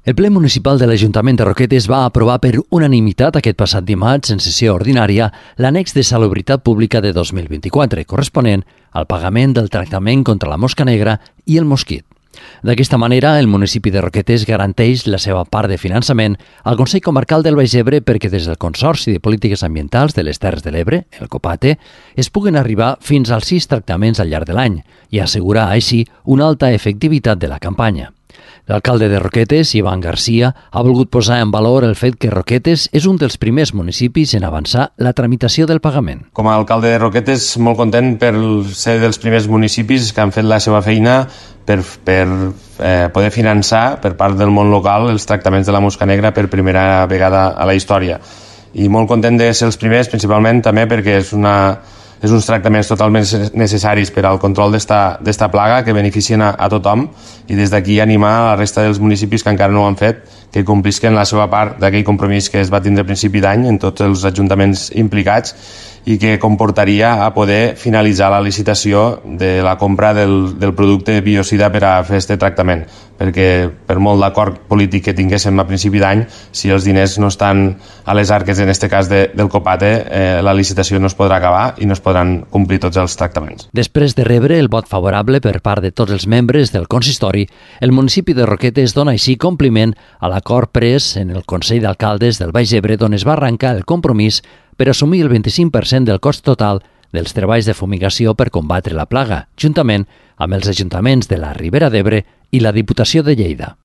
El ple municipal de l'Ajuntament de Roquetes va aprovar per unanimitat aquest passat dimarts en sessió ordinària l'annex de salubritat pública de 2024, corresponent al pagament del tractament contra la mosca negra i el mosquit. D'aquesta manera, el municipi de Roquetes garanteix la seva part de finançament al Consell Comarcal del Baix Ebre perquè des del Consorci de Polítiques Ambientals de les Terres de l'Ebre, el COPATE, es puguen arribar fins als 6 tractaments al llarg de l'any i assegurar així una alta efectivitat de la campanya. L'alcalde de Roquetes, Ivan Garcia, ha volgut posar en valor el fet que Roquetes és un dels primers municipis en avançar la tramitació del pagament. Com a alcalde de Roquetes, molt content per ser dels primers municipis que han fet la seva feina per poder finançar per part del món local els tractaments de la mosca negra per primera vegada a la història. I molt content de ser els primers, principalment també perquè és uns tractaments totalment necessaris per al control d'esta plaga que beneficien a tothom, i des d'aquí animar a la resta dels municipis que encara no ho han fet que complisquen la seva part d'aquell compromís que es va tindre a principi d'any en tots els ajuntaments implicats i que comportaria a poder finalitzar la licitació de la compra del producte biocida per a fer aquest tractament, perquè per molt d'acord polític que tinguéssim a principi d'any, si els diners no estan a les arques, en aquest cas del COPATE, la licitació no es podrà acabar i no es podran complir tots els tractaments. Després de rebre el vot favorable per part de tots els membres del consistori, el municipi de Roquetes dona així compliment a l'acord pres en el Consell d'Alcaldes del Baix Ebre, on es va arrencar el compromís per assumir el 25% del cost total dels treballs de fumigació per combatre la plaga, juntament amb els ajuntaments de la Ribera d'Ebre i la Diputació de Lleida.